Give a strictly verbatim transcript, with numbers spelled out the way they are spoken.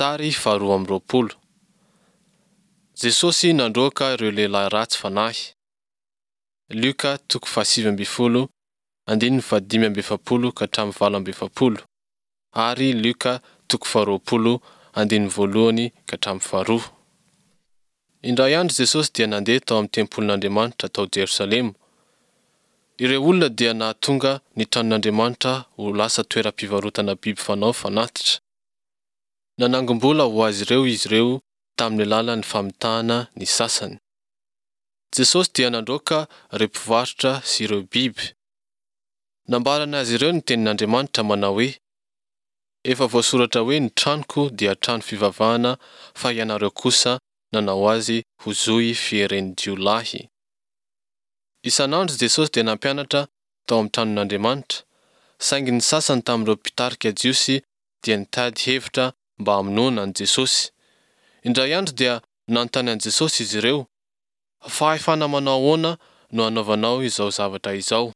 Sary faharoa amby roapolo. Jesosy nandroaka ireo lehilahy ratsy fanahy. Lioka toko fahasivy ambin'ny folo andininy fahadimy amby efapolo ka hatramin'ny valo amby efapolo ary Lioka toko faharoapolo andininy voalohany ka hatramin'ny faharoa. Indray andro Jesosy dia nandeha tao amin'ny tempolin'Andriamanitra tao Jerosalema. Ireo olona dia nahatonga ny tranon'Andriamanitra ho lasa toeram-pivarotana biby fanao fanatitra. Nanangom-bola ho azy ireo izy ireo tamin'ny alalan'ny famitahana ny sasany. Jesosy dia nandroaka ireo mpivarotra sy ireo biby. Nambarany azy ireo ny tenin'Andriamanitra manao hoe, Efa voasoratra hoe ny tranoko dia trano fivavahana fa ianareo kosa nanao azy ho zohy fieren'ny jiolahy. Isan'andro Jesosy dia nampianatra tao amin'ny tranon'Andriamanitra, saingy ny sasany tamin'ireo mpitarika Jiosy dia nitady hevitra mba hamonoana an'i Jesosy. Indray andro dia nanontany an'i Jesosy izy ireo, Fahefana manao ahoana no anaovanao izao zavatra izao?